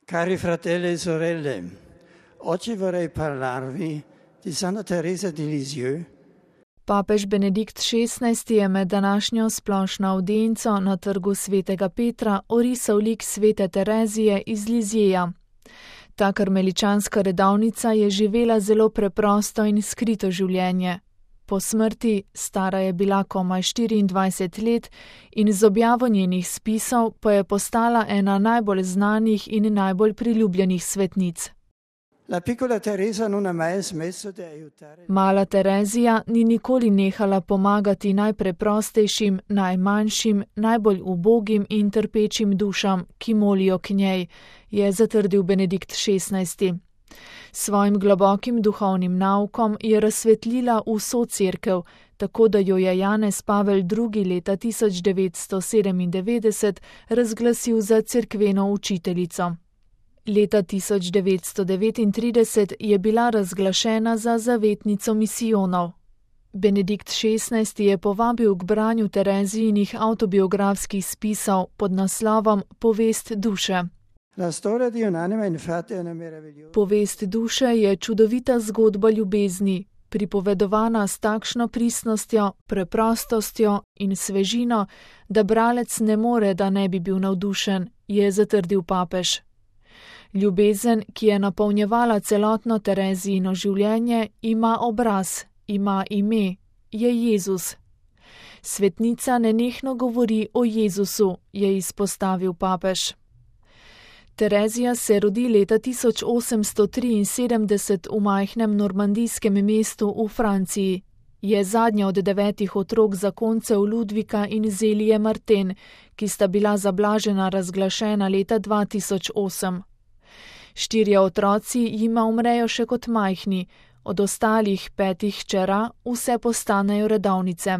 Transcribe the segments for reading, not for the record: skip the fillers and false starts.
Cari fratelli e sorelle, oggi vorrei parlarvi di Santa Teresa di Lisieux. Papež Benedikt XVI je med današnjo splošno avdienco na trgu svetega Petra orisal lik svete Terezije iz Lizieja. Ta karmeličanska redovnica je živela zelo preprosto in skrito življenje. Po smrti, stara je bila komaj 24 let in z objavo njenih spisov pa je postala ena najbolj znanih in najbolj priljubljenih svetnic. Mala Terezija ni nikoli nehala pomagati najpreprostejšim, najmanjšim, najbolj ubogim in trpečim dušam, ki molijo k njej, je zatrdil Benedikt XVI. Svojim globokim duhovnim naukom je razsvetlila vso cerkev, tako da jo je Janez Pavel II. Leta 1997 razglasil za cerkveno učiteljico. Leta 1939 je bila razglašena za zavetnico misijonov. Benedikt XVI. Je povabil k branju Terezijinih avtobiografskih spisov pod naslovom Povest duše. Povest duše je čudovita zgodba ljubezni, pripovedovana s takšno pristnostjo, preprostostjo in svežino, da bralec ne more, da ne bi bil navdušen, je zatrdil papež. Ljubezen, ki je napolnjevala celotno Terezijino življenje, ima obraz, ima ime, je Jezus. Svetnica nenehno govori o Jezusu, je izpostavil papež. Terezija se rodi leta 1873 v majhnem normandijskem mestu v Franciji. Je zadnja od 9 otrok zakoncev Ludvika in Zelije Marten, ki sta bila za blažena razglašena leta 2008. 4 otroci jima umrejo še kot majhni, od ostalih 5 hčera vse postanejo redovnice.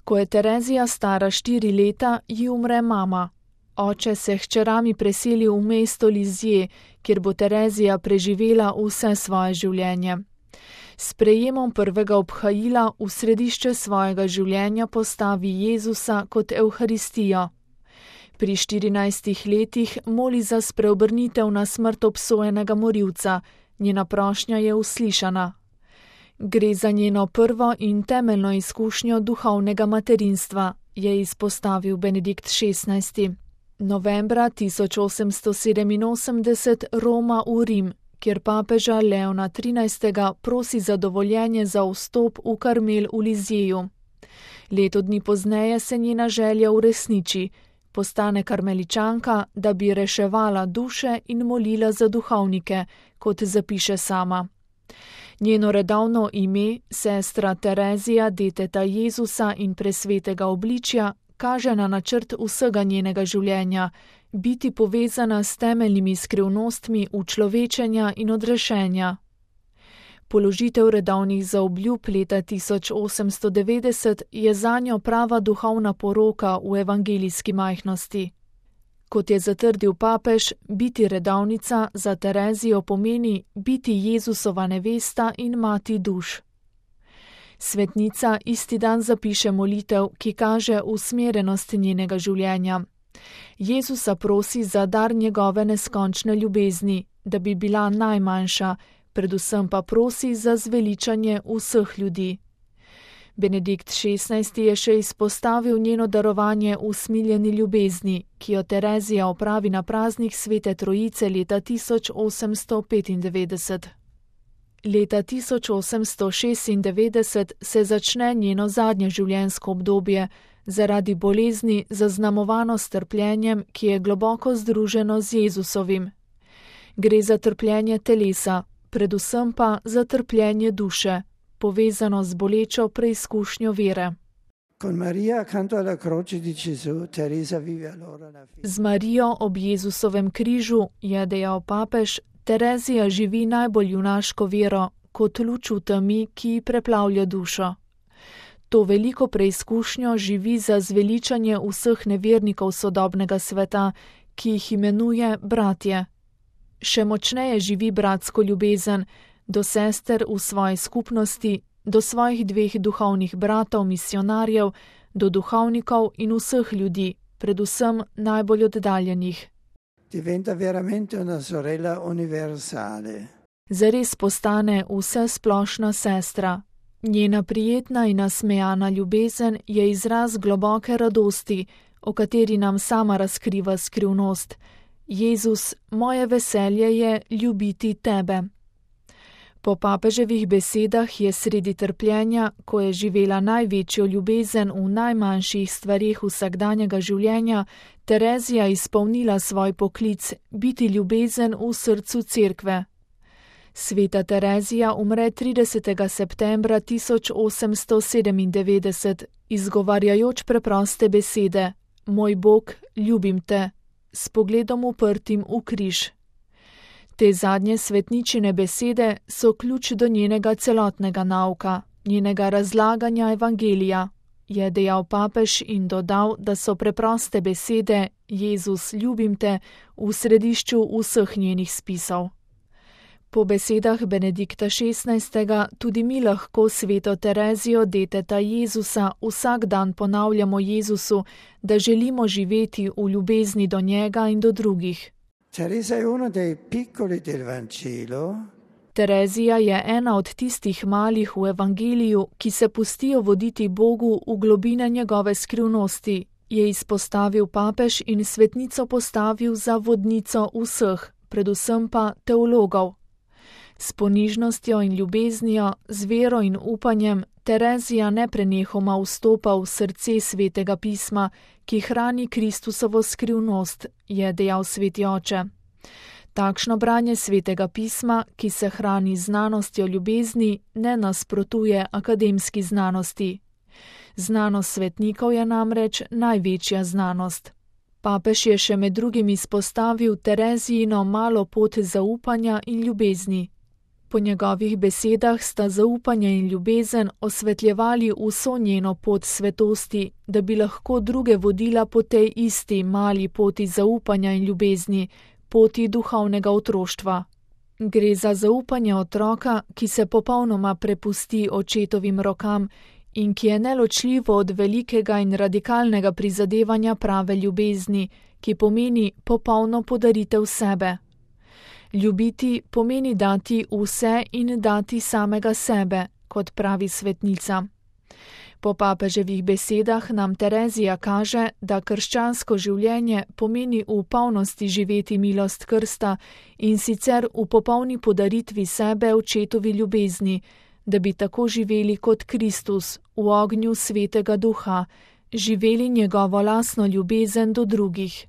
Ko je Terezija stara 4 leta, ji umre mama. Oče se hčerami preseli v mesto Lizije, kjer bo Terezija preživela vse svoje življenje. S prejemom prvega obhajila v središče svojega življenja postavi Jezusa kot Evharistijo. Pri 14 letih moli za spreobrnitev na smrt obsojenega morilca, njena prošnja je uslišana. Gre za njeno prvo in temeljno izkušnjo duhovnega materinstva, je izpostavil Benedikt XVI. Novembra 1887 Roma v Rim, kjer papeža Leona XIII. Prosi za dovoljenje za vstop v Karmel v Lizieju. Leto dni pozneje se njena želja uresniči, postane karmeličanka, da bi reševala duše in molila za duhovnike, kot zapiše sama. Njeno redovno ime, sestra Terezija, deteta Jezusa in presvetega obličja, kaže na načrt vsega njenega življenja, biti povezana s temeljnimi skrivnostmi učlovečenja in odrešenja. Položitev redovnih zaobljub leta 1890 je zanjo prava duhovna poroka v evangelijski majhnosti. Kot je zatrdil papež, biti redovnica za Terezijo pomeni biti Jezusova nevesta in mati duš. Svetnica isti dan zapiše molitev, ki kaže usmerjenost njenega življenja. Jezusa prosi za dar njegove neskončne ljubezni, da bi bila najmanjša, predvsem pa prosi za zveličanje vseh ljudi. Benedikt XVI. Je še izpostavil njeno darovanje usmiljeni ljubezni, ki jo Terezija opravi na praznik Svete Trojice leta 1895. Leta 1896 se začne njeno zadnje življenjsko obdobje, zaradi bolezni zaznamovano s trpljenjem, ki je globoko združeno z Jezusovim. Gre za trpljenje telesa, predvsem pa za trpljenje duše, povezano z bolečo preizkušnjo vere. Z Marijo ob Jezusovem križu, je dejal papež, Terezija živi najbolj junaško vero, kot luč v temi, ki ji preplavlja dušo. To veliko preizkušnjo živi za zveličanje vseh nevernikov sodobnega sveta, ki jih imenuje bratje. Še močneje živi bratsko ljubezen do sester v svoji skupnosti, do svojih 2 duhovnih bratov, misionarjev, do duhovnikov in vseh ljudi, predvsem najbolj oddaljenih. diventa veramente una sorella universale. Zares postane vse splošna sestra. Njena prijetna in nasmejana ljubezen je izraz globoke radosti, o kateri nam sama razkriva skrivnost. Jezus, moje veselje je ljubiti tebe. Po papeževih besedah je sredi trpljenja, ko je živela največjo ljubezen v najmanjših stvareh vsakdanjega življenja, Terezija izpolnila svoj poklic biti ljubezen v srcu cerkve. Sveta Terezija umre 30. septembra 1897, izgovarjajoč preproste besede: Moj Bog, ljubim te, s pogledom uprtim v križ. Te zadnje svetničine besede so ključ do njenega celotnega nauka, njenega razlaganja evangelija, je dejal papež in dodal, da so preproste besede Jezus, ljubim te v središču vseh njenih spisov. Po besedah Benedikta XVI. Tudi mi lahko sveto Terezijo, deteta Jezusa, vsak dan ponavljamo Jezusu, da želimo živeti v ljubezni do njega in do drugih. Teresa je uno dei piccoli del Vangelo. Terezija je ena od tistih malih v evangeliju, ki se pustijo voditi Bogu v globine njegove skrivnosti, je izpostavil papež in svetnico postavil za vodnico vseh, predvsem pa teologov. S ponižnostjo in ljubeznijo, z vero in upanjem Terezija neprenehoma vstopa v srce svetega pisma, ki hrani Kristusovo skrivnost, je dejal sveti oče. Takšno branje svetega pisma, ki se hrani znanostjo ljubezni, ne nasprotuje akademski znanosti. Znanost svetnikov je namreč največja znanost. Papež je še med drugim izpostavil Terezijino malo pot zaupanja in ljubezni. Po njegovih besedah sta zaupanje in ljubezen osvetljevali vso njeno pot svetosti, da bi lahko druge vodila po tej isti mali poti zaupanja in ljubezni, poti duhovnega otroštva. Gre za zaupanje otroka, ki se popolnoma prepusti očetovim rokam in ki je neločljivo od velikega in radikalnega prizadevanja prave ljubezni, ki pomeni popolno podaritev sebe. Ljubiti pomeni dati vse in dati samega sebe, kot pravi svetnica. Po papeževih besedah nam Terezija kaže, da krščansko življenje pomeni v polnosti živeti milost krsta in sicer v popolni podaritvi sebe očetovi ljubezni, da bi tako živeli kot Kristus v ognju svetega duha, živeli njegovo lastno ljubezen do drugih.